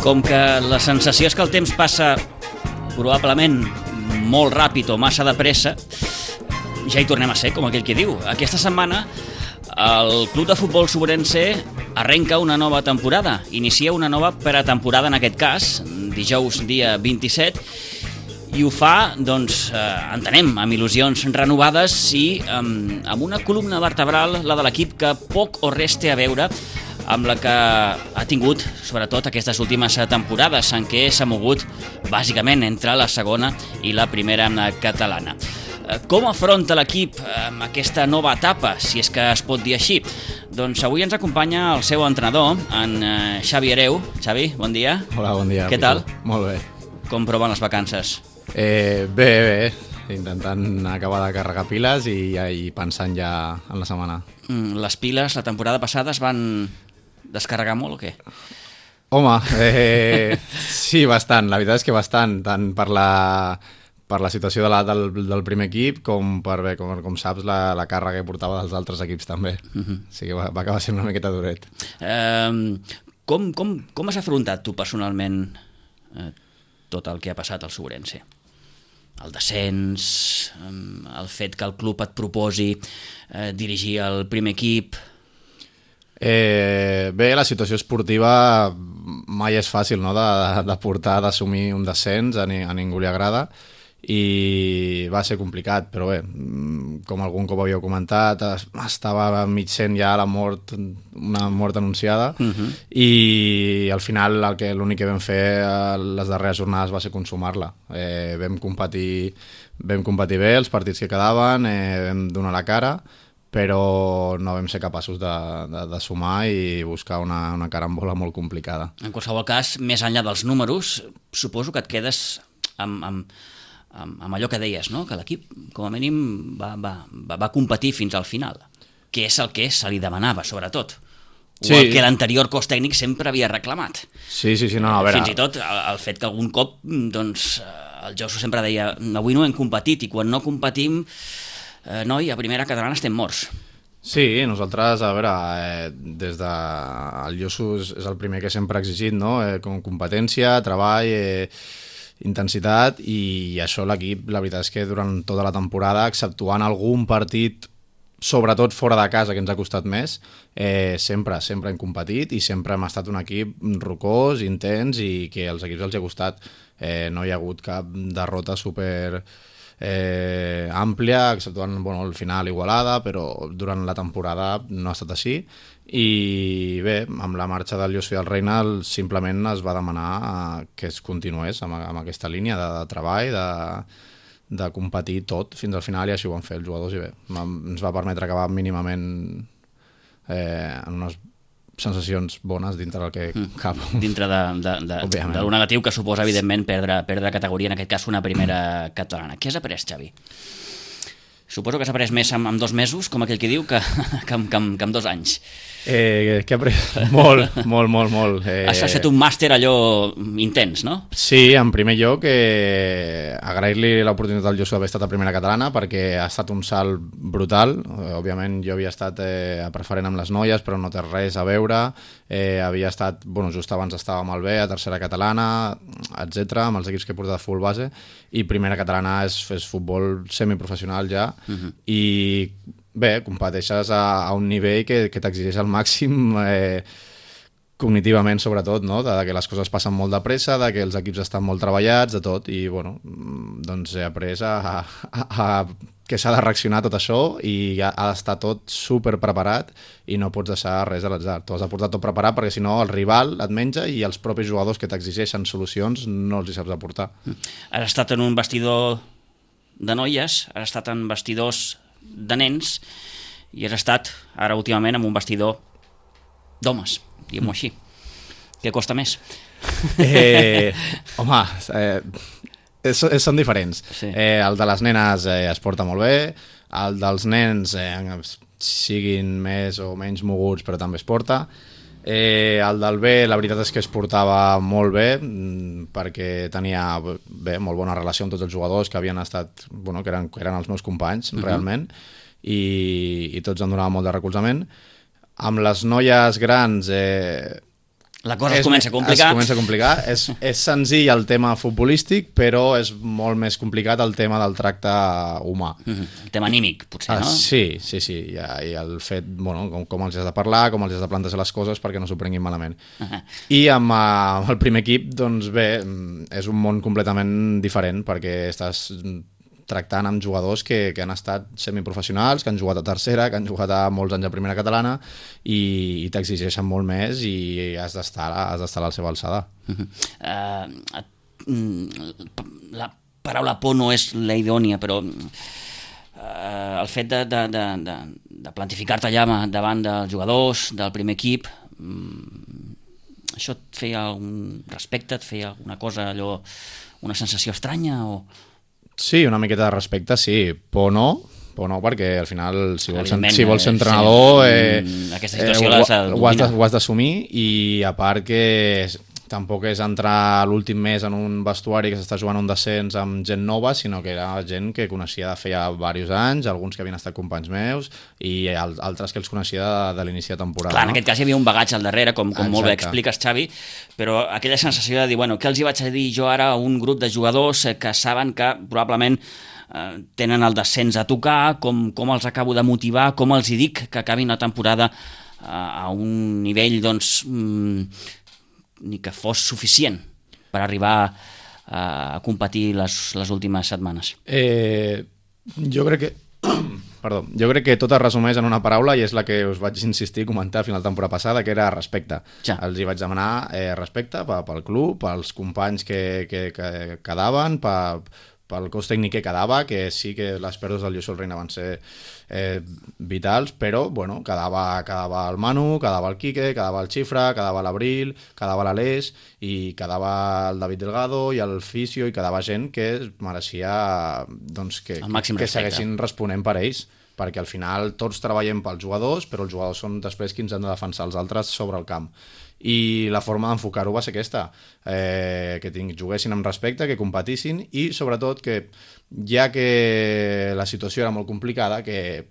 Com que la sensació és que el temps passa probablement molt ràpid o massa de pressa, ja hi tornem a ser, com aquell que diu. Aquesta setmana el Club de Futbol Sobrense arrenca una nova temporada, inicia una nova pretemporada en aquest cas, dijous dia 27, i ho fa, doncs, entenem, amb il·lusions renovades i amb una columna vertebral, la de l'equip, que poc o res té a veure amb la que ha tingut, sobretot, aquestes últimes temporades, en què s'ha mogut, bàsicament, entre la segona i la primera catalana. Com afronta l'equip aquesta nova etapa, si és que es pot dir així? Doncs avui ens acompanya el seu entrenador, en Xavi Hereu. Xavi, bon dia. Hola, bon dia. Què tal? Molt bé. Com proven les vacances? Bé. Intentant acabar de carregar piles i pensant ja en la setmana. Les piles, la temporada passada, es van descarregar molt o què? Home, sí, bastant. La veritat és que bastant, tant per la situació del primer equip com per, bé, com saps, la càrrega que portava dels altres equips també. O sigui que va acabar sent una miqueta duret. Com has afrontat tu personalment tot el que ha passat al Sobrense? El descens, el fet que el club et proposi dirigir el primer equip. Bé, la situació esportiva mai és fàcil, no?, de portar, d'assumir un descens, a ningú li agrada, i va ser complicat, però bé, com algun cop havíeu comentat, estava mig sent ja una mort anunciada, i al final l'únic que vam fer les darreres jornades va ser consumar-la. Vam competir bé els partits que quedaven, vam donar la cara, però no vam ser capaços de sumar i buscar una carambola molt complicada. En qualsevol cas, més enllà dels números, suposo que et quedes amb allò que deies, no? Que l'equip, com a mínim, va competir fins al final, que és el que se li demanava, sobretot. O el que l'anterior cos tècnic sempre havia reclamat. Sí, no, a veure... Fins i tot el fet que algun cop, doncs, el Josu sempre deia avui no hem competit, i quan no competim, noi, a primera catalana estem morts. Sí, nosaltres, a veure, des de... El Josu és el primer que sempre ha exigit, no? Com competència, treball, intensitat, i això l'equip, la veritat és que durant tota la temporada, exceptuant algun partit, sobretot fora de casa, que ens ha costat més, sempre hem competit i sempre hem estat un equip rocós, intens, i que als equips els ha costat. No hi ha hagut cap derrota super àmplia, exceptuant el final Igualada, però durant la temporada no ha estat així. I bé, amb la marxa del Josu i del Reina simplement es va demanar que es continués amb aquesta línia de treball, de competir tot fins al final, i així ho van fer els jugadors, i bé, ens va permetre acabar mínimament en unes sensacions bones dintre del que cap. Dintre de lo negatiu que suposa, evidentment, perdre categoria, en aquest cas una primera catalana. Què has après, Xavi? Suposo que has après més amb 2 mesos, com aquell que diu, que amb 2 anys. Què he après? Molt. Has fet un màster allò intens, no? Sí, en primer lloc, agrair-li l'oportunitat al Josu d'haver estat a primera catalana, perquè ha estat un salt brutal. Òbviament jo havia estat a preferent amb les noies, però no té res a veure. Havia estat, just abans estava amb el B, a tercera catalana, etc, amb els equips que he portat de futbol base, i primera catalana és futbol semiprofessional ja, i bé, competeixes a un nivell que t'exigeix al màxim, cognitivament sobretot, no? De que les coses passen molt de pressa, de que els equips estan molt treballats, de tot, i doncs he après a que s'ha de reaccionar a tot això, i ha d'estar tot super preparat i no pots deixar res a l'atzar. Tu has de portar tot preparat, perquè si no el rival et menja i els propis jugadors que t'exigeixen solucions no els hi saps aportar. Has estat en un vestidor de noies, has estat en vestidors de nens, i has estat ara últimament en un vestidor d'homes, diguem-ho així. Què costa més? Home, són diferents. Sí. El de les nenes es porta molt bé, el dels nens siguin més o menys moguts, però també es porta. El del B, la veritat és que es portava molt bé, perquè tenia molt bona relació amb tots els jugadors que havien estat, que eren els meus companys, realment, i tots em donaven molt de recolzament. Amb les noies grans La cosa es comença a complicar. Es comença a complicar. És senzill el tema futbolístic, però és molt més complicat el tema del tracte humà. El tema anímic, potser, no? Sí. I el fet, bueno, com els has de parlar, com els has de plantejar les coses perquè no s'ho prenguin malament. I amb el primer equip, doncs bé, és un món completament diferent perquè estàs tractant amb jugadors que han estat semiprofessionals, que han jugat a tercera, que han jugat a molts anys a primera catalana i t'exigeixen molt més i has d'estar a la seva alçada. La paraula por no és la idònia, però el fet de plantificar-te allà davant dels jugadors, del primer equip, això et feia algun respecte, et feia alguna cosa, allò, una sensació estranya o... Sí, una miqueta de respecte, sí. Por no, perquè al final si vols ser entrenador aquesta situació ho has d'assumir i a part que tampoc és entrar l'últim mes en un vestuari que s'està jugant un descens amb gent nova, sinó que era gent que coneixia de feia diversos anys, alguns que havien estat companys meus i altres que els coneixia de l'inici de temporada. Clar, en aquest cas hi havia un bagatge al darrere, com molt bé expliques, Xavi, però aquella sensació de dir, bueno, què els hi vaig a dir jo ara a un grup de jugadors que saben que probablement tenen el descens a tocar, com els acabo de motivar, com els hi dic que acabin la temporada a un nivell, doncs... ni que fos suficient per arribar a competir les últimes setmanes. Jo crec que tot es resumeix en una paraula i és la que us vaig insistir a comentar a final de temporada passada, que era respecte. Ja. Els hi vaig demanar respecte pel club, pels companys que quedaven, pel cos tècnic que quedava, que sí que les pèrdues del Lluís Reina van ser vitals, però bueno, quedava el Manu, quedava el Quique, quedava el Xifra, quedava l'Abril, quedava l'Aleix i quedava el David Delgado i el Fisio i quedava gent que mereixia doncs, que segueixin responent per ells, perquè al final tots treballem pels jugadors, però els jugadors són després qui ens han de defensar els altres sobre el camp. I la forma d'enfocar-ho va ser aquesta, que juguessin amb respecte, que competissin i sobretot que, ja que la situació era molt complicada, que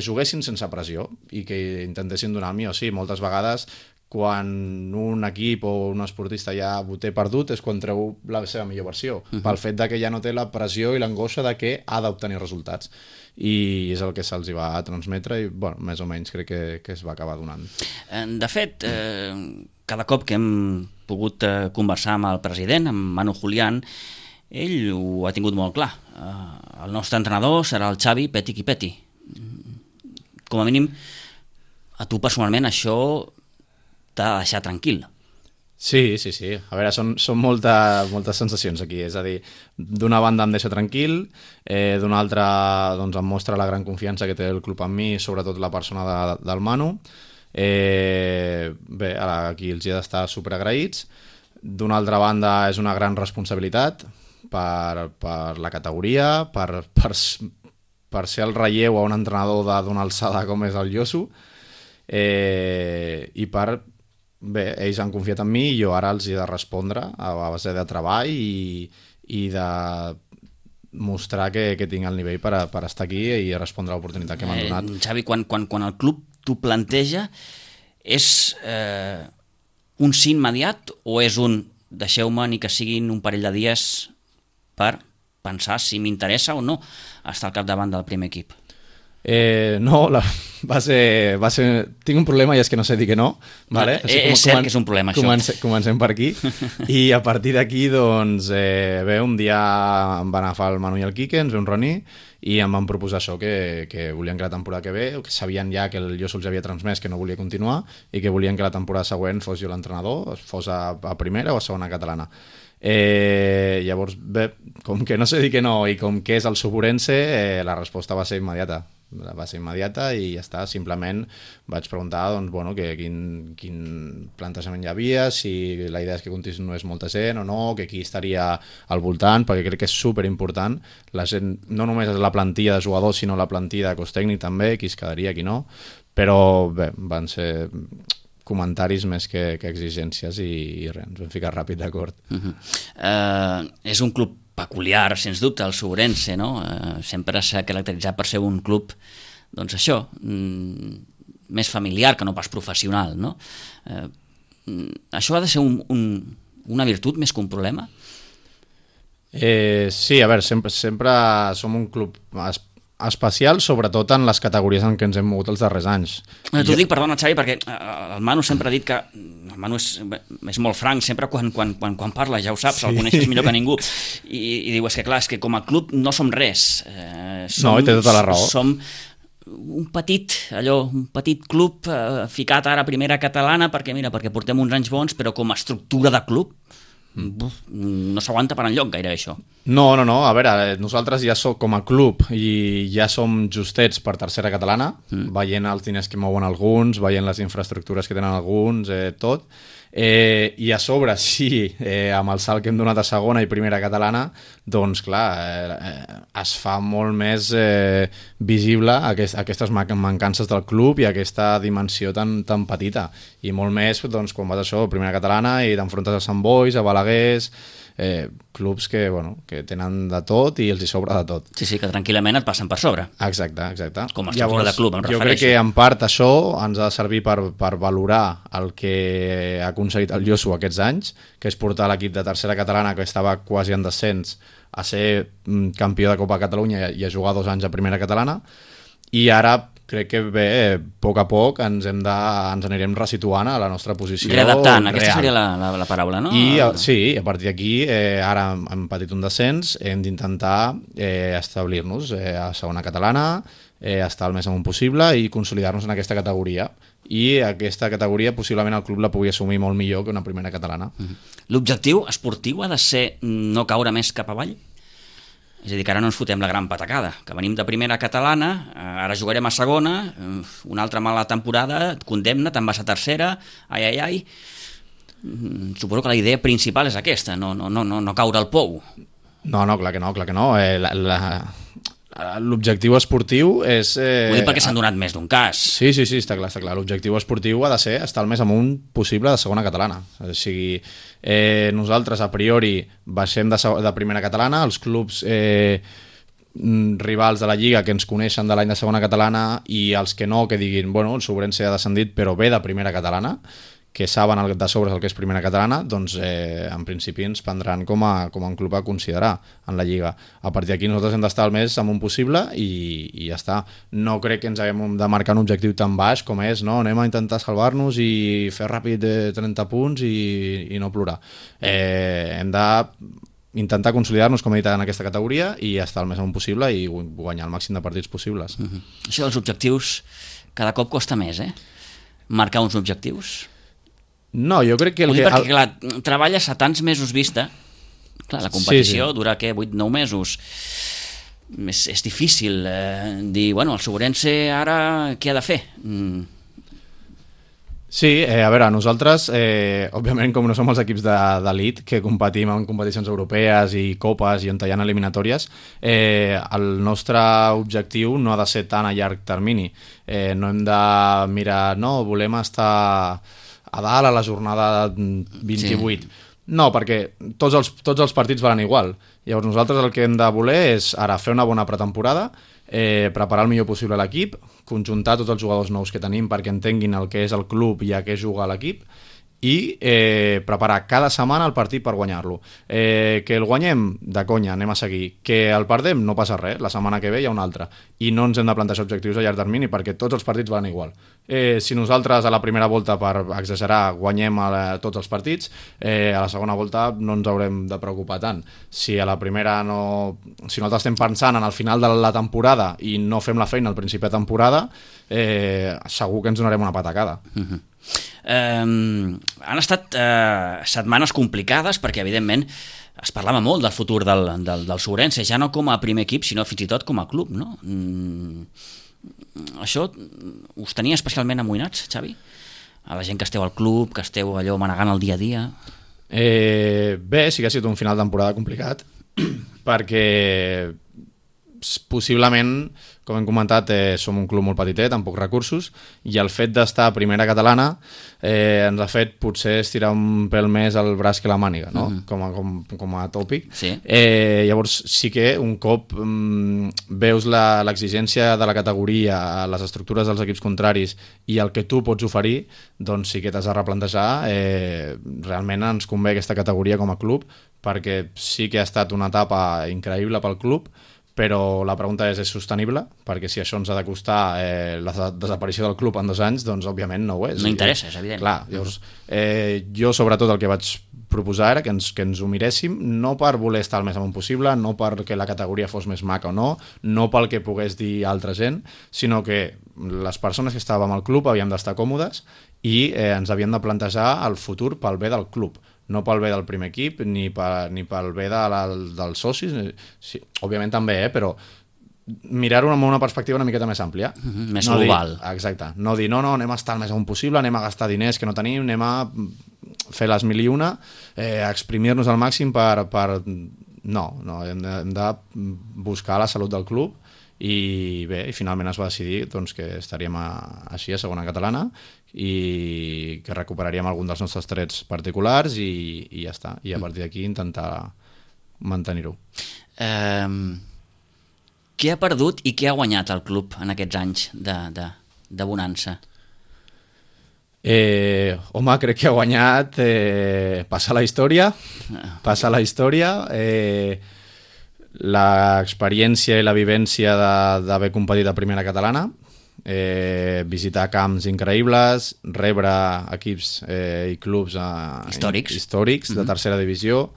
juguessin sense pressió i que intentessin donar el millor. Sí, moltes vegades quan un equip o un esportista ja ho té perdut és quan treu la seva millor versió, pel fet de que ja no té la pressió i l'angoixa de que ha d'obtenir resultats. I és el que se'ls va transmetre i, bueno, més o menys crec que es va acabar donant. De fet, cada cop que hem pogut conversar amb el president, amb Manu Julián, ell ho ha tingut molt clar. El nostre entrenador serà el Xavi Peti qui peti. Com a mínim, a tu personalment això t'ha de deixar tranquil. Sí. A veure, són moltes sensacions aquí. És a dir, d'una banda em deixa tranquil, d'una altra doncs, em mostra la gran confiança que té el club en mi, sobretot la persona del Manu. Bé, ara aquí els hi he d'estar superagraïts. D'una altra banda és una gran responsabilitat per la categoria, per ser el relleu a un entrenador d'una alçada com és el Josu, i bé, ells han confiat en mi i jo ara els he de respondre a base de treball i de mostrar que tinc el nivell per estar aquí i respondre a l'oportunitat que m'han donat. Xavi, quan el club t'ho planteja, és un sí immediat o és un deixeu-me ni que siguin un parell de dies per pensar si m'interessa o no estar al capdavant del primer equip? No, va ser... Tinc un problema i és que no sé dir que no, vale? És cert que és un problema, això. Comencem per aquí i a partir d'aquí, doncs, bé, un dia em van agafar el Manu i el Quique, ens vam reunir i em van proposar això, que volien que la temporada que ve, que sabien ja que el Josu els havia transmès que no volia continuar i que volien que la temporada següent fos jo l'entrenador, fos a primera o a segona catalana. Llavors, bé, com que no sé dir que no i com que és el Suburense, la resposta va ser immediata i ja està. Simplement vaig preguntar doncs, bueno, quin plantejament hi havia, si la idea és que continués molta gent o no, que qui estaria al voltant, perquè crec que és superimportant. La gent no només és la plantilla de jugadors, sinó la plantilla de cos tècnic també, qui es quedaria, qui no, però bé, van ser comentaris més que exigències i res, ens vam ficar ràpid d'acord. És un club peculiar, sens dubte, el Suburense, no? Sempre s'ha caracteritzat per ser un club, doncs això, més familiar que no pas professional, no? això ha de ser una virtut més que un problema? Sí, a veure, sempre som un club especial, sobretot en les categories en què ens hem mogut els darrers anys. T'ho dic, perdona, Xavi, perquè el Manu sempre ha dit que... El Manu és molt franc, sempre quan parla, ja ho saps, el coneixes millor que ningú, i diu, és que com a club no som res. No, i té tota la raó. Som un petit club ficat ara a primera catalana, perquè portem uns anys bons, però com a estructura de club no s'aguanta per enlloc gaire això. No, a veure, nosaltres ja com a club i ja som justets per tercera catalana, veient els diners que mouen alguns, veient les infraestructures que tenen alguns, tot. I a sobre, sí, amb el salt que hem donat a segona i primera catalana, doncs clar, es fa molt més visible aquestes mancances del club i aquesta dimensió tan petita, i molt més doncs, quan vas a primera catalana i t'enfrontes a Sant Bois, a Balaguers, clubs que tenen de tot i els hi sobra de tot. Sí, que tranquil·lament et passen per sobre. Exacte. Com a estructura de club, em refereixo. Jo crec que en part això ens ha de servir per valorar el que ha aconseguit el Josu aquests anys, que és portar l'equip de tercera catalana, que estava quasi en descens, a ser campió de Copa Catalunya i a jugar 2 anys a primera catalana, i ara crec que a poc a poc ens anirem resituant a la nostra posició readaptant, real. Aquesta seria la paraula, no? Sí, a partir d'aquí ara hem patit un descens, hem d'intentar establir-nos a segona catalana, estar el més amunt possible i consolidar-nos en aquesta categoria, i aquesta categoria possiblement el club la pugui assumir molt millor que una primera catalana. L'objectiu esportiu ha de ser no caure més cap avall? És a dir, que ara no ens fotem la gran patacada, que venim de primera catalana, ara jugarem a segona, una altra mala temporada, et condemna, te'n vas a tercera, ai. Suposo que la idea principal és aquesta, no caure al pou. No, clar que no. L'objectiu esportiu és... Ho dic perquè s'han donat més d'un cas. Sí, està clar. L'objectiu esportiu ha de ser estar el més amunt possible de segona catalana. O sigui, nosaltres a priori baixem de primera catalana, els clubs rivals de la Lliga que ens coneixen de l'any de segona catalana i els que no, que diguin, el Sobrense ha descendit però ve de primera catalana, que saben de sobre el que és primera catalana, doncs en principi ens prendran com a un club a considerar en la Lliga. A partir d'aquí nosaltres hem d'estar el més amunt possible i ja està. No crec que ens haguem de marcar un objectiu tan baix com és, no? Anem a intentar salvar-nos i fer ràpid 30 punts i no plorar. Hem d'intentar consolidar-nos, com he dit, en aquesta categoria i estar el més amunt possible i guanyar el màxim de partits possibles. Això dels objectius cada cop costa més, marcar uns objectius. No, jo crec que... Perquè, clar, treballes a tants mesos vista, clar, la competició dura, 8-9 mesos, és difícil dir, el Sobrense ara què ha de fer? Sí, a veure, nosaltres, òbviament, com no som els equips d'elit, que competim en competicions europees i copes i on hi ha eliminatòries, el nostre objectiu no ha de ser tan a llarg termini. No hem de mirar, volem estar a dalt a la jornada 28. No, perquè tots els partits valen igual. Llavors nosaltres el que hem de voler és ara fer una bona pretemporada, preparar el millor possible l'equip, conjuntar tots els jugadors nous que tenim perquè entenguin el que és el club i a què juga l'equip, i preparar cada setmana el partit per guanyar-lo. Que el guanyem, de conya, anem a seguir. Que el perdem, no passa res, la setmana que ve hi ha una altra. I no ens hem de plantejar objectius a llarg termini perquè tots els partits van igual. Si nosaltres a la primera volta, per exagerar, guanyem tots els partits, a la segona volta no ens haurem de preocupar tant. Si a la primera si nosaltres estem pensant en el final de la temporada i no fem la feina al principi de temporada, segur que ens donarem una patacada. Han estat setmanes complicades perquè evidentment es parlava molt del futur del Sobrense, ja no com a primer equip sinó fins i tot com a club, no? Això us tenia especialment amoïnats, Xavi? A la gent que esteu al club, que esteu allò manegant el dia a dia? Bé, sí que ha sigut un final de temporada complicat perquè possiblement, com hem comentat, som un club molt petitet, amb pocs recursos, i el fet d'estar a primera catalana ens ha fet potser estirar un pèl més el braç que la màniga, no? Com a tòpic. Sí. Llavors sí que un cop veus l'exigència de la categoria, les estructures dels equips contraris i el que tu pots oferir, doncs sí que t'has de replantejar. Realment ens convé aquesta categoria com a club, perquè sí que ha estat una etapa increïble pel club, però la pregunta és sostenible? Perquè si això ens ha de costar la desaparició del club en 2 anys, doncs òbviament no ho és. No interessa, és evident. Clar, llavors, jo sobretot el que vaig proposar era que ens ho miréssim, no per voler estar el més amunt possible, no perquè la categoria fos més maca o no pel que pogués dir altra gent, sinó que les persones que estàvem al club havíem d'estar còmodes i ens havíem de plantejar el futur pel bé del club, no pel bé del primer equip ni pel bé dels socis, sí, òbviament també, però mirar-ho amb una perspectiva una miqueta més àmplia. Més global. Exacte, no dir, no, anem a estar el més amunt possible, anem a gastar diners que no tenim, anem a fer les 1001, a exprimir-nos al màxim per... No, hem de buscar la salut del club i bé, i finalment es va decidir doncs, que estaríem així a segona catalana i que recuperaríem algun dels nostres trets particulars i ja està, i a partir d'aquí intentar mantenir-ho. Què ha perdut i què ha guanyat el club en aquests anys de bonança? Home, crec que ha guanyat passar la història, l'experiència i la vivència d'haver competit a primera catalana, visitar camps increïbles, rebre equips i clubs històrics de tercera divisió,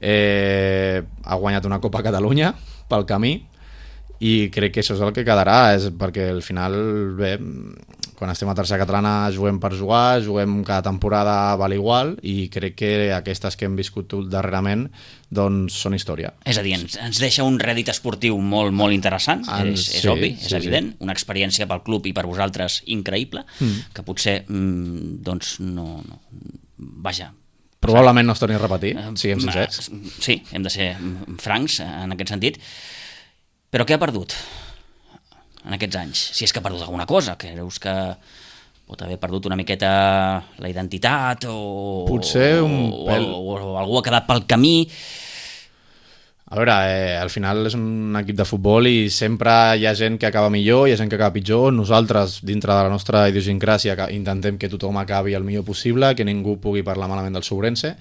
ha guanyat una Copa Catalunya pel camí i crec que això és el que quedarà, perquè al final, bé, quan estem a tercera catalana juguem per jugar, juguem cada temporada val igual i crec que aquestes que hem viscut darrerament doncs són història. És a dir, ens deixa un rèdit esportiu molt, molt interessant, és obvi, és evident, una experiència pel club i per vosaltres increïble, que potser doncs no... Vaja, probablement no es torni a repetir, siguem sincers. Sí, hem de ser francs en aquest sentit. Però què ha perdut en aquests anys? Si és que ha perdut alguna cosa, creus que pot haver perdut una miqueta la identitat o... Potser un pèl... O algú ha quedat pel camí... A veure, al final és un equip de futbol i sempre hi ha gent que acaba millor, hi ha gent que acaba pitjor. Nosaltres, dintre de la nostra idiosincràsia, intentem que tothom acabi el millor possible, que ningú pugui parlar malament del Sobrense,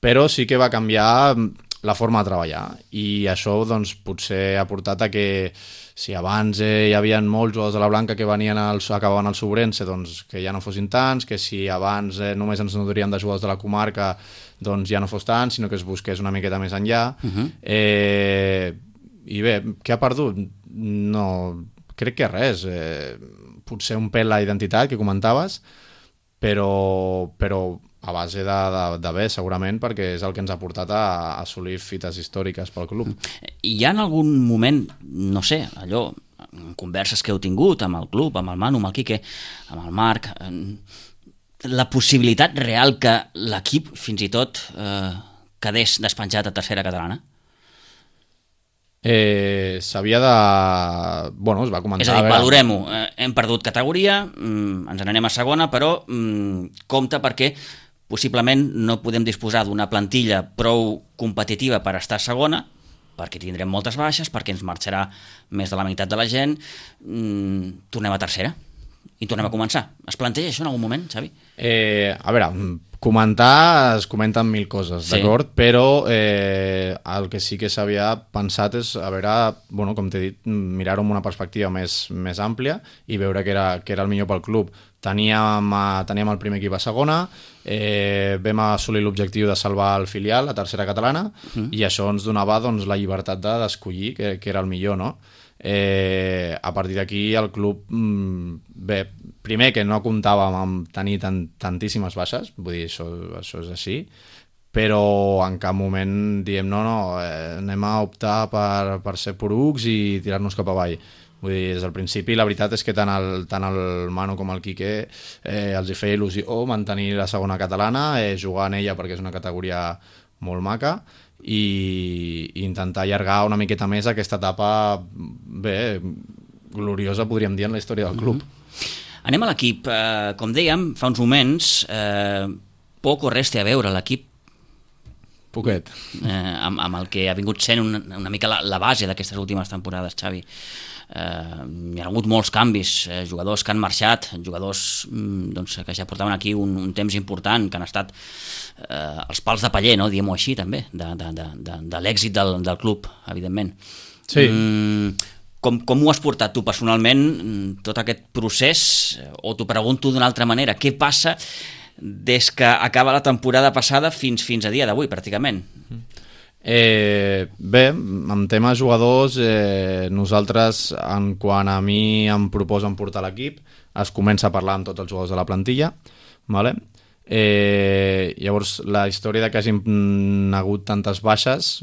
però sí que va canviar la forma de treballar i això doncs, potser ha portat a que si abans hi havia molts jugadors de la Blanca que acabaven al Sobrense, doncs que ja no fossin tants, que si abans només ens nodríem de jugadors de la comarca doncs ja no fos tant, sinó que es busqués una miqueta més enllà. I bé, què ha perdut? No, crec que res. Potser un pèl la identitat que comentaves, però a base de bé, segurament, perquè és el que ens ha portat a assolir fites històriques pel club. Hi ha en algun moment, no sé, allò, en converses que heu tingut amb el club, amb el Manu, amb el Quique, amb el Marc, la possibilitat real que l'equip fins i tot quedés despenjat a tercera catalana? S'havia de... Bueno, es va comentar... És a dir, valorem-ho. Hem perdut categoria, ens n'anem a segona, però compte perquè possiblement no podem disposar d'una plantilla prou competitiva per estar a segona, perquè tindrem moltes baixes, perquè ens marxarà més de la meitat de la gent, tornem a tercera i tornem a començar. Es planteja això en algun moment, Xavi? A veure, comentar, es comenten 1000 coses, d'acord? Però el que sí que s'havia pensat és, a veure, bueno, com t'he dit, mirar-ho amb una perspectiva més àmplia i veure què era el millor pel club. Teníem el primer equip a segona, vam assolir l'objectiu de salvar el filial a tercera catalana i això ens donava doncs, la llibertat d'escollir què era el millor, no? A partir d'aquí el club, bé, primer que no comptàvem amb tenir tantíssimes baixes, vull dir, això és així, però en cap moment diem no, anem a optar per ser porucs i tirar-nos cap avall. Vull dir, des del principi la veritat és que tant el Manu com el Quique els hi feia il·lusió mantenir la segona catalana, jugar en ella perquè és una categoria molt maca i intentar allargar una miqueta més aquesta etapa gloriosa, podríem dir, en la història del club. Anem a l'equip. Com dèiem fa uns moments, poc o res té a veure l'equip Poquet. Amb el que ha vingut sent una mica la base d'aquestes últimes temporades, Xavi. Hi ha hagut molts canvis, jugadors que han marxat, jugadors que ja portaven aquí un temps important, que han estat els pals de paller, no? Diguem-ho així també, de l'èxit del club, evidentment. Sí. Com ho has portat tu personalment, tot aquest procés? O t'ho pregunto d'una altra manera, què passa des que acaba la temporada passada fins a dia d'avui, pràcticament? En tema jugadors, nosaltres, quant a mi em proposen portar l'equip, es comença a parlar amb tots els jugadors de la plantilla, vale? Llavors la història de que hagin hagut tantes baixes,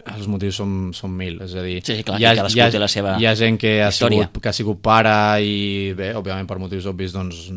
els motius són mil, és a dir, sí, clar, cadascú té la seva hi ha gent que ha història. sigut pare i bé, òbviament per motius obvis, doncs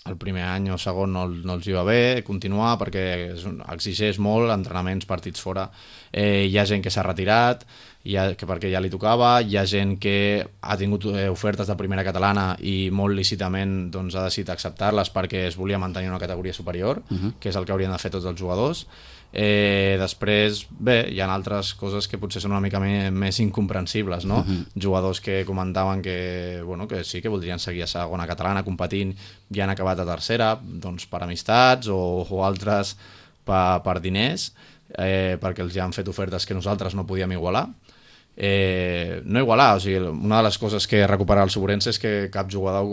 el primer any o segon no els hi va bé continuar perquè exigeix molt, entrenaments, partits fora. Hi ha gent que s'ha retirat perquè ja li tocava, hi ha gent que ha tingut ofertes de primera catalana i molt lícitament doncs, ha decidit acceptar-les perquè es volia mantenir una categoria superior, que és el que haurien de fer tots els jugadors. Després, bé, hi ha altres coses que potser són una mica més incomprensibles, no? Jugadors que comentaven que sí, que voldrien seguir a segona catalana competint i han acabat a tercera, doncs per amistats o altres per diners, perquè els ja han fet ofertes que nosaltres no podíem igualar. No igualar, o sigui, una de les coses que recuperarà el Sobrense és que cap jugador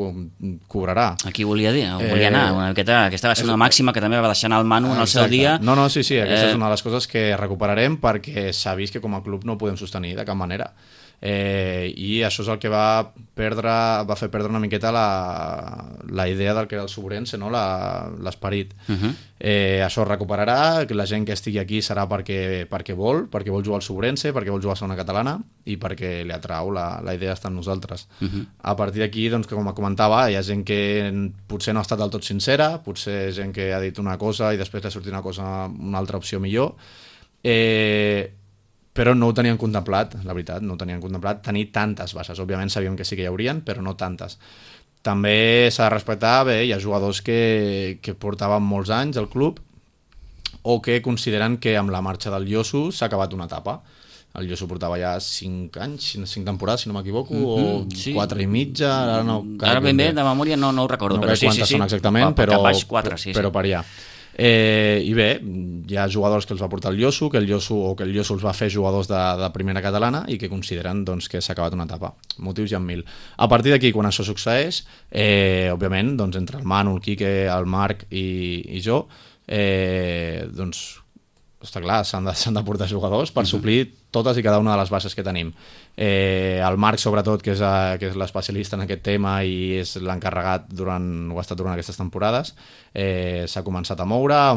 cobrarà. Aquí volia anar una miqueta, aquesta va ser una màxima que també va deixar anar el Manu en el seu dia. No, sí, aquesta és una de les coses que recuperarem perquè s'ha vist que com a club no ho podem sostenir de cap manera. I això és el que va fer perdre una miqueta la idea del que era el Sobrense, no? L'esperit. Això es recuperarà, que la gent que estigui aquí serà perquè vol jugar al Sobrense, perquè vol jugar a segona catalana i perquè li atrau la idea d'estar amb nosaltres. A partir d'aquí, doncs, com comentava, hi ha gent que potser no ha estat del tot sincera, potser gent que ha dit una cosa i després li ha sortit una altra opció millor, però no ho tenien contemplat, la veritat, no ho tenien contemplat tenir tantes bases. Òbviament sabíem que sí que hi haurien, però no tantes. També s'ha de respectar, hi ha jugadors que portaven molts anys al club o que consideren que amb la marxa del Yosu s'ha acabat una etapa. El Yosu portava ja 5 anys, 5 temporades, si no m'equivoco, o 4 i mitja. Ara ben bé, de memòria no ho recordo, però sí. Són exactament, però per allà. I bé, hi ha jugadors que els va portar el Yosu, que el Yosu els va fer jugadors de primera catalana i que consideren doncs, que s'ha acabat una etapa. Motius hi ha 1000. A partir d'aquí, quan això succeeix, òbviament, doncs, entre el Manu, el Quique, el Marc i jo, doncs, està clar, s'han de portar jugadors per suplir totes i cada una de les bases que tenim. El Marc, sobretot, que és l'especialista en aquest tema i és l'encarregat ho ha estat durant aquestes temporades, s'ha començat a moure, ha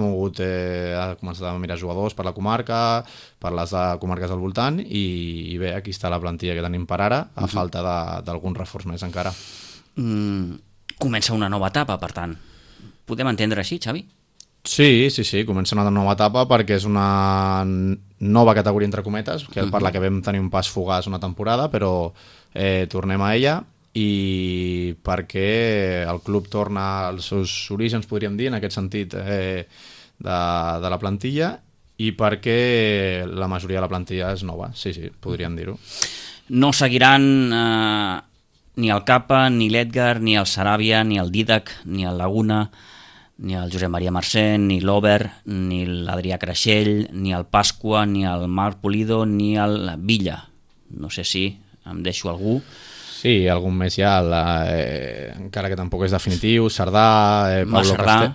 començat a mirar jugadors per la comarca, per les comarques del voltant i bé, aquí està la plantilla que tenim per ara, a falta d'algun reforç més encara. Comença una nova etapa, per tant. Podem entendre així, Xavi? Sí, comença una nova etapa perquè és una nova categoria entre cometes, per la que vam tenir un pas fugaç una temporada, però tornem a ella i perquè el club torna als seus orígens, podríem dir, en aquest sentit de la plantilla, i perquè la majoria de la plantilla és nova, sí, podríem dir-ho. No seguiran ni el Capa, ni l'Edgar, ni el Saràbia, ni el Didac, ni el Laguna, ni el Josep Maria Mercè, ni l'Ober, ni l'Adrià Creixell, ni el Pasqua, ni el Marc Pulido, ni el Villa. No sé si em deixo algú. Sí, algun més ja, encara que tampoc és definitiu. Cerdà,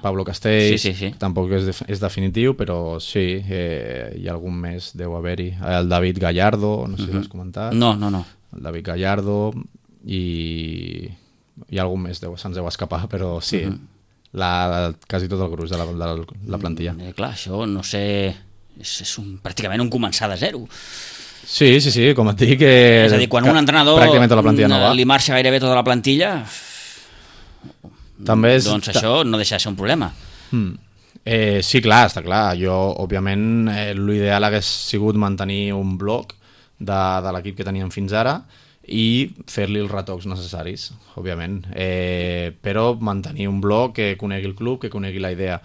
Pablo Castells, sí. Tampoc és definitiu, però sí, hi ha algun més, deu haver-hi. El David Gallardo, no sé si l'has comentat. No. El David Gallardo i algun més, se'ns deu escapar, però sí. Quasi tot el gruix de la plantilla. Clar, això no sé, és pràcticament un començar de zero. Sí, com et dic, és a dir, quan un entrenador li marxa gairebé tota la plantilla, doncs això no deixa de ser un problema. Sí, clar, està clar. Jo, òbviament, l'ideal hagués sigut mantenir un bloc de l'equip que teníem fins ara i fer-li els retocs necessaris, òbviament. Però mantenir un bloc que conegui el club, que conegui la idea.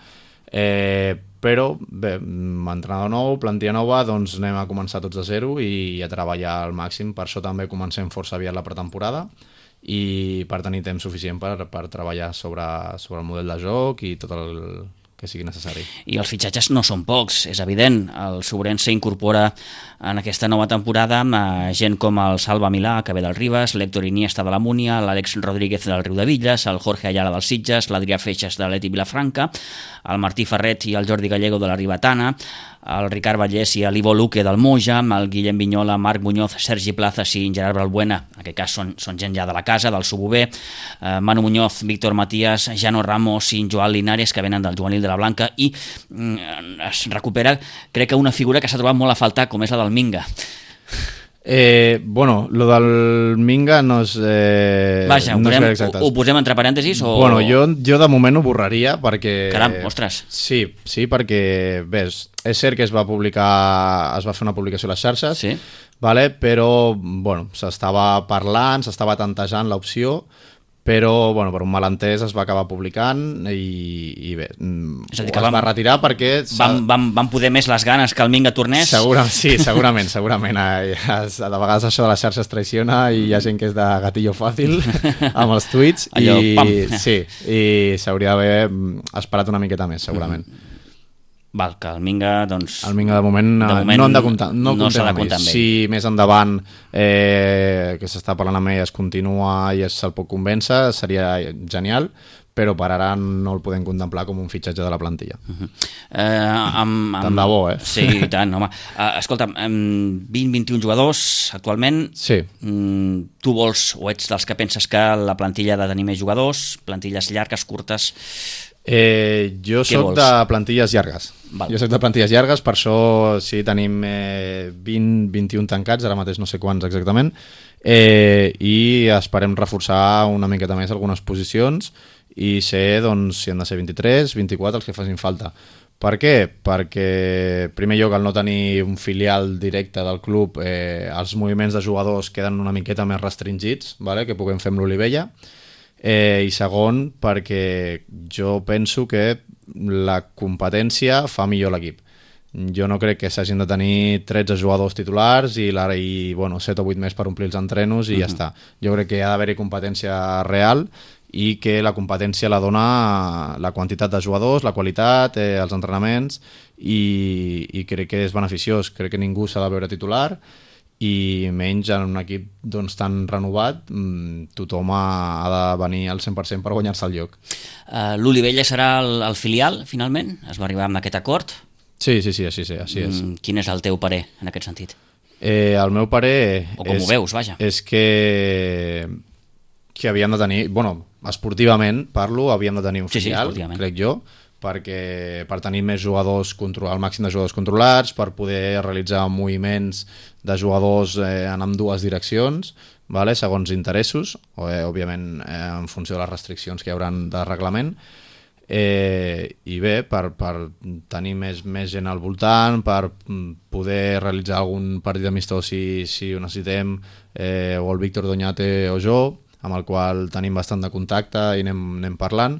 Però, bé, entrenador nou, plantilla nova, doncs anem a començar tots de zero i a treballar al màxim. Per això també comencem força aviat la pretemporada i per tenir temps suficient per treballar sobre el model de joc i tot el que sigui necessari. I els fitxatges no són pocs, és evident. El Sobrense incorpora en aquesta nova temporada gent com el Salva Milà, que ve del Ribes, l'Héctor Iniesta de la Múnia, l'Àlex Rodríguez del Riu de Villas, el Jorge Ayala dels Sitges, l'Adrià Feixas de l'Eti Vilafranca, el Martí Ferret i el Jordi Gallego de la Ribetana, el Ricard Vallès i l'Ivo Luque del Moja, el Guillem Vinyola, Marc Muñoz, Sergi Plazas i Gerard Balbuena, en aquest cas són gent ja de la casa, del Subové, Manu Muñoz, Víctor Matías, Jano Ramos i Joan Linares, que venen del Juvenil de la Blanca, i es recupera, crec que una figura que s'ha trobat molt a faltar, com és la del Minga. Bueno, lo del Minga no és... Vaja, no ho posem entre parèntesis o... Bueno, jo de moment ho borraria perquè... Caram, ostres. Sí, perquè, bé, és cert que es va fer una publicació a les xarxes, sí. Vale? Però, bueno, s'estava parlant, s'estava tantejant l'opció, però, bueno, per un malentès es va acabar publicant i bé, es va retirar perquè... Van poder més les ganes que el Minga tornés? Sí, segurament. De vegades això de les xarxes traiciona i hi ha gent que és de gatillo fàcil amb els tuits. Allò, pam! Sí, i s'hauria d'haver esperat una miqueta més, segurament. Val, que el Minga, doncs... El Minga de moment no hem de comptar, no s'ha de comptar amb ell. Si més endavant que s'està parlant amb ell es continua i se'l pot convèncer, seria genial, però per ara no el podem contemplar com un fitxatge de la plantilla. Tant de bo, Sí, i tant, home. Escolta, 20-21 jugadors actualment. Sí. Tu vols, o ets dels que penses que la plantilla ha de tenir més jugadors, plantilles llargues, curtes... Jo soc de plantilles llargues. Val. Jo soc de plantilles llargues, per això sí, tenim 20-21 tancats, ara mateix no sé quants exactament, i esperem reforçar una miqueta més algunes posicions i ser, doncs, si han de ser 23, 24 els que facin falta. Per què? Perquè, en primer lloc, al no tenir un filial directe del club, els moviments de jugadors queden una miqueta més restringits, vale? Que puguem fer amb l'Olivella. I segon, perquè jo penso que la competència fa millor l'equip. Jo no crec que s'hagin de tenir 13 jugadors titulars i 7 o 8 més per omplir els entrenos i ja està. Jo crec que ha d'haver-hi competència real i que la competència la dona la quantitat de jugadors, la qualitat, els entrenaments i crec que és beneficiós. Crec que ningú s'ha de veure titular i menys en un equip doncs, tan renovat, tothom ha de venir al 100% per guanyar-se el lloc. L'Olivella serà el filial, finalment? Es va arribar amb aquest acord? Sí, així és. Quin és el teu parer en aquest sentit? El meu parer o com ho veus, vaja. És que havíem de tenir, esportivament parlo, havíem de tenir un filial, crec jo, perquè per tenir més jugadors, el màxim de jugadors controlats, per poder realitzar moviments de jugadors en ambdues direccions, vale? Segons interessos, òbviament en funció de les restriccions que hi haurà de reglament, i bé, per tenir més gent al voltant, per poder realitzar algun partit amistós si ho necessitem, o el Víctor Doñate o jo, amb el qual tenim bastant de contacte i anem parlant,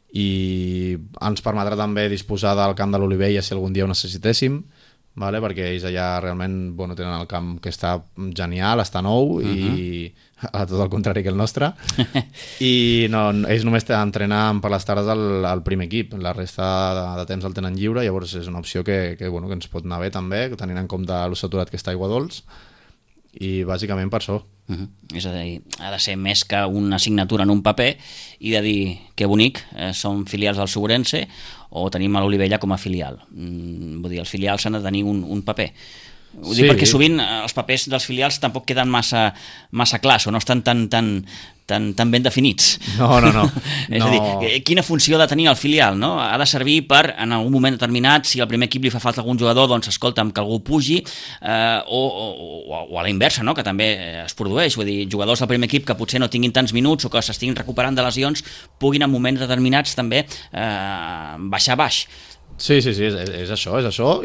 i ens permetrà també disposar del camp de l'Olivella si algun dia ho necessitéssim, vale? Perquè ells allà realment tenen el camp que està genial, està nou i a tot el contrari que el nostre i ells només entrenen per les tardes al primer equip, la resta de temps el tenen lliure, llavors és una opció que ens pot anar bé també, tenint en compte lo saturat que està Aigua Dols, i bàsicament per això. És a dir, ha de ser més que una signatura en un paper i de dir que bonic, som filials del Sobrense o tenim a l'Olivella com a filial. Vull dir, els filials han de tenir un paper. Ho dic perquè sovint els papers dels filials tampoc queden massa clars o no estan tan tan ben definits. No. És a dir, quina funció ha de tenir el filial, no? Ha de servir per, en algun moment determinat, si al primer equip li fa falta algun jugador, doncs escolta'm, que algú pugi, o a la inversa, no? Que també es produeix, vull dir, jugadors del primer equip que potser no tinguin tants minuts o que s'estiguin recuperant de lesions, puguin en moments determinats també baixar baix. Sí, és això,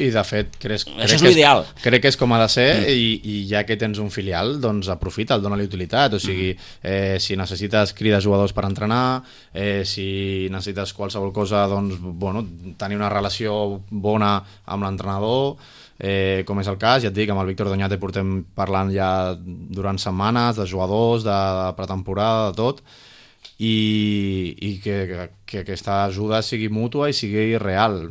i de fet això és l'ideal. Crec que és com ha de ser, i ja que tens un filial, doncs aprofita'l, dona-li utilitat, o sigui, si necessites cridar jugadors per entrenar, si necessites qualsevol cosa, doncs, bueno, tenir una relació bona amb l'entrenador, com és el cas, ja et dic, amb el Víctor Doñate portem parlant ja durant setmanes de jugadors, de pretemporada, de tot, i que aquesta ajuda sigui mútua i sigui real,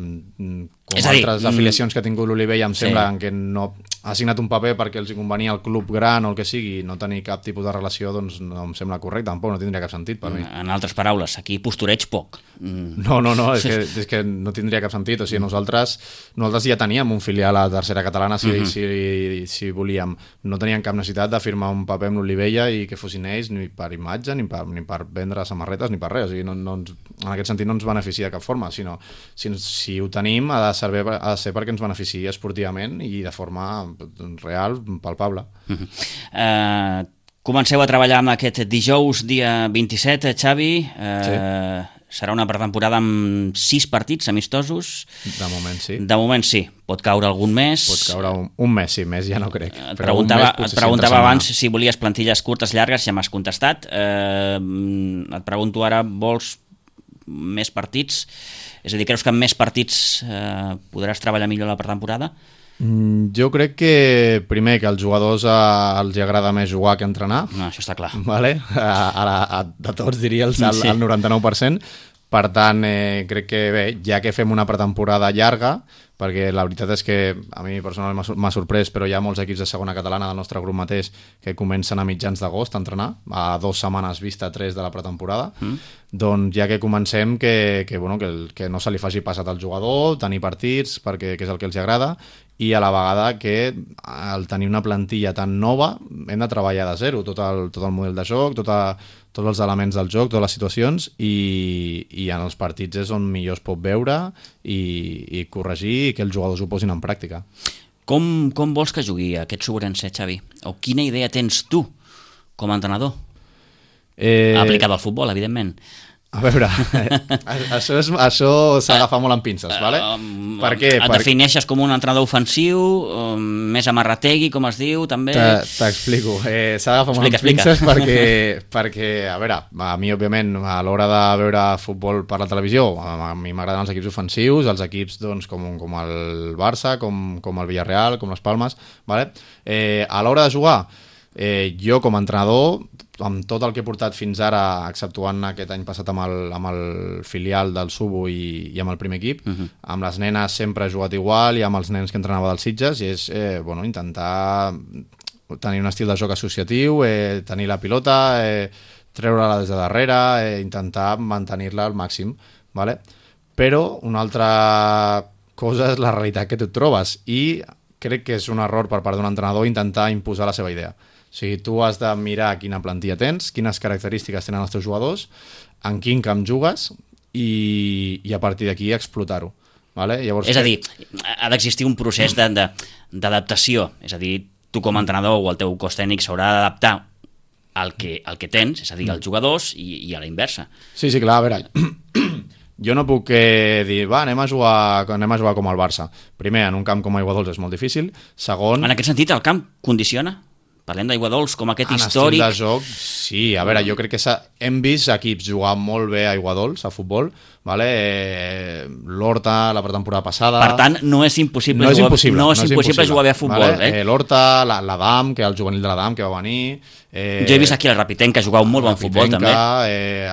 com altres afiliacions que ha tingut l'Olivella em sembla que no ha signat un paper perquè els convenia el club gran o el que sigui, no tenir cap tipus de relació, doncs no em sembla correcte, tampoc no tindria cap sentit per mi. En altres paraules, aquí postureig poc. No, és que no tindria cap sentit, o sigui, nosaltres ja teníem un filial a la tercera catalana si volíem, no teníem cap necessitat de firmar un paper amb l'Olivella i que fossin ells ni per imatge, ni per vendre samarretes, ni per res, o sigui, en aquest sentit no ens beneficia de cap forma, sinó si ho tenim ha de ser perquè ens beneficia esportivament i de forma real, palpable. Comenceu a treballar amb aquest dijous, dia 27, Xavi. Serà una pretemporada amb 6 partits amistosos. De moment sí. De moment sí. Pot caure algun mes. Pot caure un mes, sí, més ja no crec. Et preguntava abans si volies plantilles curtes, llargues, ja m'has contestat. Et pregunto ara, vols més partits? És a dir, creus que amb més partits podràs treballar millor la pretemporada? Jo crec que, primer, que als jugadors els agrada més jugar que entrenar. No, això està clar. Vale? De tots diria el 99%. Per tant, crec que bé, ja que fem una pretemporada llarga, perquè la veritat és que a mi personalment m'ha sorprès, però hi ha molts equips de segona catalana del nostre grup mateix que comencen a mitjans d'agost a entrenar, a 2 setmanes vista 3 de la pretemporada, doncs ja que comencem que no se li faci passat al jugador, tenir partits, perquè és el que els agrada, i a la vegada que al tenir una plantilla tan nova hem de treballar de zero, tot el model de joc, tots els elements del joc, totes les situacions, i en els partits és on millor es pot veure i corregir i que els jugadors ho posin en pràctica. Com vols que jugui aquest Sobrense, Xavi? O quina idea tens tu com a entrenador? Aplicada al futbol, evidentment. A veure, això s'agafa molt amb pinces, ¿vale? Per què? Et defineixes com un entrenador ofensiu, més amarrategui, com es diu, també? T'explico. S'agafa molt amb pinces perquè, a veure, a mi, òbviament, a l'hora de veure futbol per la televisió, a mi m'agraden els equips ofensius, els equips doncs, com el Barça, com el Villarreal, com les Palmes, ¿vale? A l'hora de jugar, jo com a entrenador, amb tot el que he portat fins ara, exceptuant aquest any passat amb el filial del Subo i amb el primer equip, amb les nenes sempre he jugat igual i amb els nens que entrenava dels Sitges, i és intentar tenir un estil de joc associatiu, tenir la pilota, treure-la des de darrere, intentar mantenir-la al màxim, ¿vale? Però una altra cosa és la realitat que tu et trobes, i crec que és un error per part d'un entrenador intentar imposar la seva idea. O sigui, tu has de mirar quina plantilla tens, quines característiques tenen els teus jugadors, en quin camp jugues i a partir d'aquí explotar-ho. Vale? Llavors, és a dir, ha d'existir un procés d'adaptació. És a dir, tu com a entrenador o el teu cos tècnic s'haurà d'adaptar al que tens, és a dir, als jugadors i a la inversa. Sí, clar, a veure, jo no puc dir, anem a jugar com el Barça. Primer, en un camp com Aiguadols és molt difícil. Segon... En aquest sentit, el camp condiciona? Parlem d'Aiguadols com aquest històric... En estil de joc, sí. A veure, jo crec que hem vist equips jugar molt bé a Aiguadols, a futbol, vale? L'Horta, la pretemporada passada... Per tant, no és impossible jugar bé a futbol. Vale? L'Horta, l'Adam, que el juvenil de l'Adam, que va venir... Jo he vist aquí el Rapitenc, que jugava un molt bon futbol, també.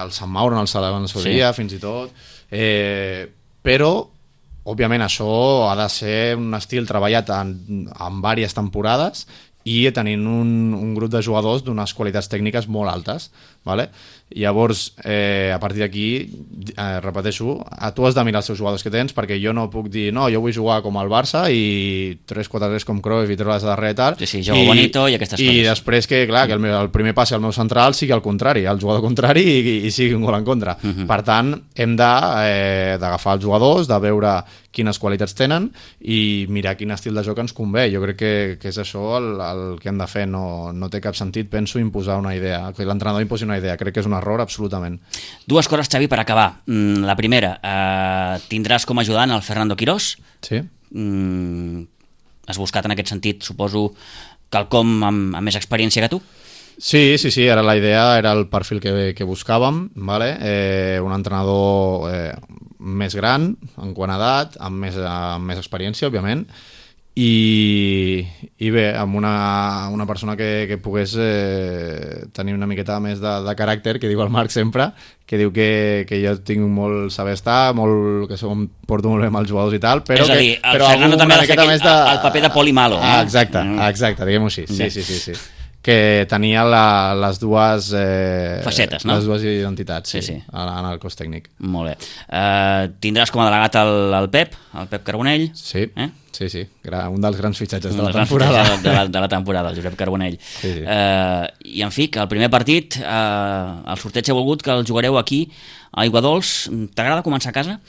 El Sant Mauro, en el seu dia, fins i tot. Però, òbviament, això ha de ser un estil treballat en diverses temporades i tenint un grup de jugadors d'unes qualitats tècniques molt altes, vale? Llavors, a partir d'aquí, repeteixo, tu has de mirar els seus jugadors que tens, perquè jo no puc dir, no, jo vull jugar com el Barça i 3-4-3 com Cruyff i treure-les de darrere i tal. Sí, jogo bonito i aquestes coses. I després que, clar, que el primer passi al meu central sigui el contrari, el jugador contrari i sigui un gol en contra. Per tant, hem d'agafar els jugadors, de veure quines qualitats tenen i mirar quin estil de joc ens convé. Jo crec que és això el que hem de fer. No té cap sentit, penso, imposar una idea, que l'entrenador imposi una idea. Crec que és un error absolutament. Dues coses, Xavi, per acabar. La primera, tindràs com a ajudant el Fernando Quirós. Sí. Has buscat en aquest sentit, suposo, quelcom amb més experiència que tu? Sí, ara la idea era el perfil que buscàvem, vale? Un entrenador més gran, en quant a edat, amb més experiència, òbviament, i bé, amb una persona que pogués tenir una miqueta més de caràcter, que diu el Marc sempre, que diu que jo tinc molt saber estar, que porto molt bé amb els jugadors i tal, però... És a dir, el Fernando també ha de fer el paper de poli malo. Exacte, diguem-ho així. Sí. Que tenia les dues facetes, no? Les dues identitats, sí. En el cos tècnic. Molt bé. Tindràs com a delegat el Pep Carbonell. Sí. Un dels grans fitxatges de la temporada. De la temporada, el Josep Carbonell. Sí. I en fi, que el primer partit, el sorteig ha volgut que el jugareu aquí a Aiguadols. T'agrada començar a casa?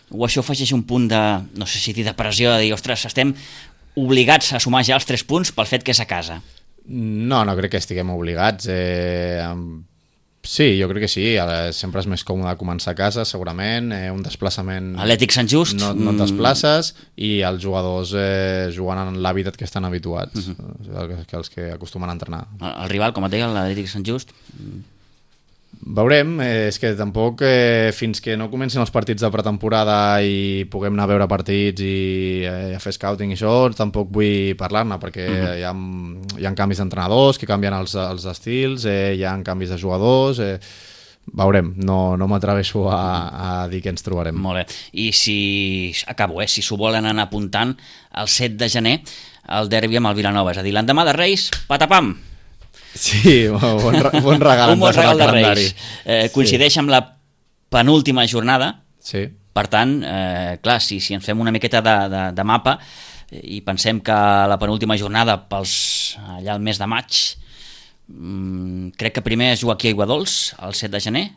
O això afegeix un punt de, no sé si dir de pressió, de dir, ostres, estem obligats a sumar ja els 3 punts pel fet que és a casa? No crec que estiguem obligats. Sí, jo crec que sí. Sempre és més còmode començar a casa, segurament. Un desplaçament... Atlètic Sant Just. No et desplaces i els jugadors juguen en l'hàbitat que estan habituats, els que acostumen a entrenar. El rival, com et deia, l'Atlètic Sant Just... Veurem, és que tampoc fins que no comencin els partits de pretemporada i puguem anar a veure partits i a fer scouting i això, tampoc vull parlar-ne, perquè hi ha canvis d'entrenadors que canvien els estils, hi ha canvis de jugadors, veurem, no m'atreveixo a dir què ens trobarem. Molt bé, i si s'ho volen anar apuntant, el 7 de gener el derbi amb el Vilanova, és a dir, l'endemà de Reis, patapam! Sí, bon regal. Un bon regal de Reis. Coincideix amb la penúltima jornada. Sí. Per tant, clar, si ens fem una miqueta de mapa i pensem que la penúltima jornada allà al mes de maig, crec que primer es juga aquí a Aiguadols, el 7 de gener.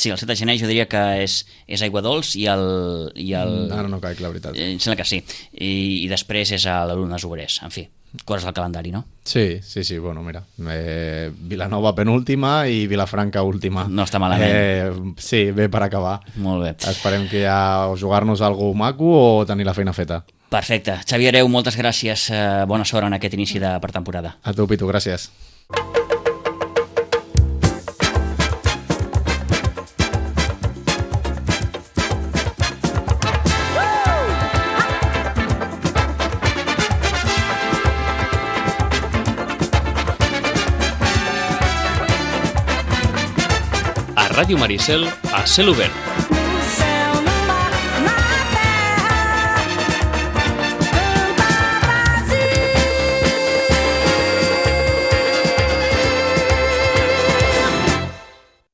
Sí, el 7 de gener jo diria que és Aiguadols i el... Ara no caic, la veritat. Em sembla que sí. I després és a l'Alumnes Obrers. En fi, coses del calendari, no? Sí, bueno, mira, Vilanova penúltima i Vilafranca última. No està malament. Sí, bé per acabar. Molt bé. Esperem que ja jugar-nos alguna cosa maco o tenir la feina feta. Perfecte. Xavi Hereu, moltes gràcies. Bona sort en aquest inici de pretemporada. A tu, Pitu, gràcies. Ràdio Maricel a cel obert.